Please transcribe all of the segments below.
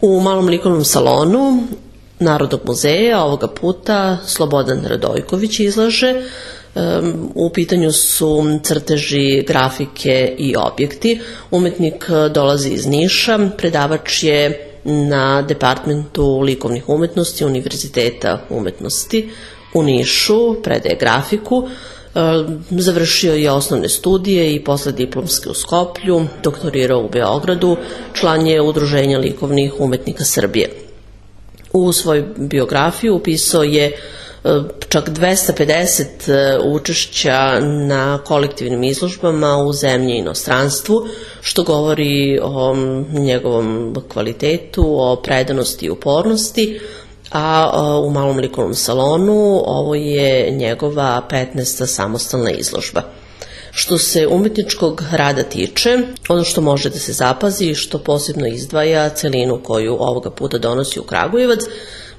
U malom likovnom salonu Narodnog muzeja ovoga puta Slobodan Radojković izlaže. U pitanju su crteži, grafike i objekti. Umetnik dolazi iz Niša, predavač je na Departmentu likovnih umetnosti Univerziteta umetnosti u Nišu, predaje grafiku. Završio je osnovne studije i posle diplomske u Skoplju, doktorirao u Beogradu, član je Udruženja likovnih umetnika Srbije. U svojoj biografiji upisao je čak 250 učešća na kolektivnim izložbama u zemlji i inostranstvu, što govori o njegovom kvalitetu, o predanosti i upornosti, a u malom likovnom salonu ovo je njegova 15. samostalna izložba. Što se umetničkog rada tiče, ono što može da se zapazi i što posebno izdvaja celinu koju ovoga puta donosi u Kragujevac,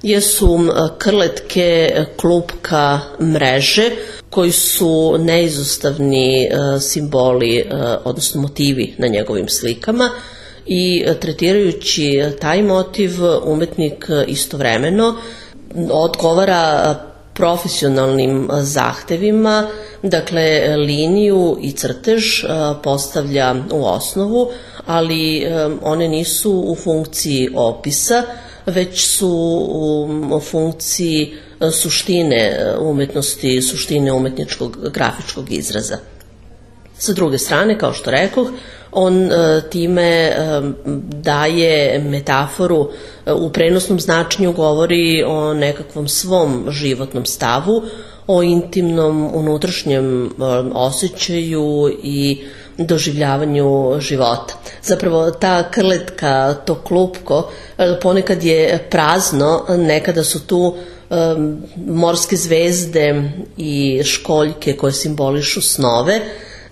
jesu krletke, klupka, mreže, koji su neizostavni simboli, odnosno motivi na njegovim slikama, i tretirajući taj motiv umetnik istovremeno odgovara profesionalnim zahtevima, dakle liniju i crtež postavlja u osnovu, ali one nisu u funkciji opisa, već su u funkciji suštine umetnosti, suštine umetničkog grafičkog izraza. Sa druge strane, kao što rekoh, on time daje metaforu, u prenosnom značenju govori o nekakvom svom životnom stavu, o intimnom unutrašnjem osjećaju i doživljavanju života. Zapravo ta krletka, to klupko, ponekad je prazno, nekada su tu morske zvezde i školjke koje simbolišu snove.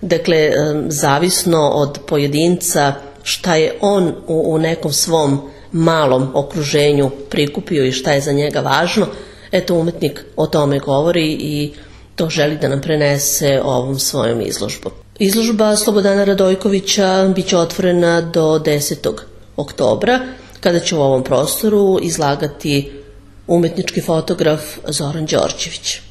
Dakle, zavisno od pojedinca šta je on u nekom svom malom okruženju prikupio i šta je za njega važno, eto umetnik o tome govori i to želi da nam prenese ovom svojom izložbom. Izložba Slobodana Radojkovića biće otvorena do 10. oktobra, kada će u ovom prostoru izlagati umetnički fotograf Zoran Đorđević.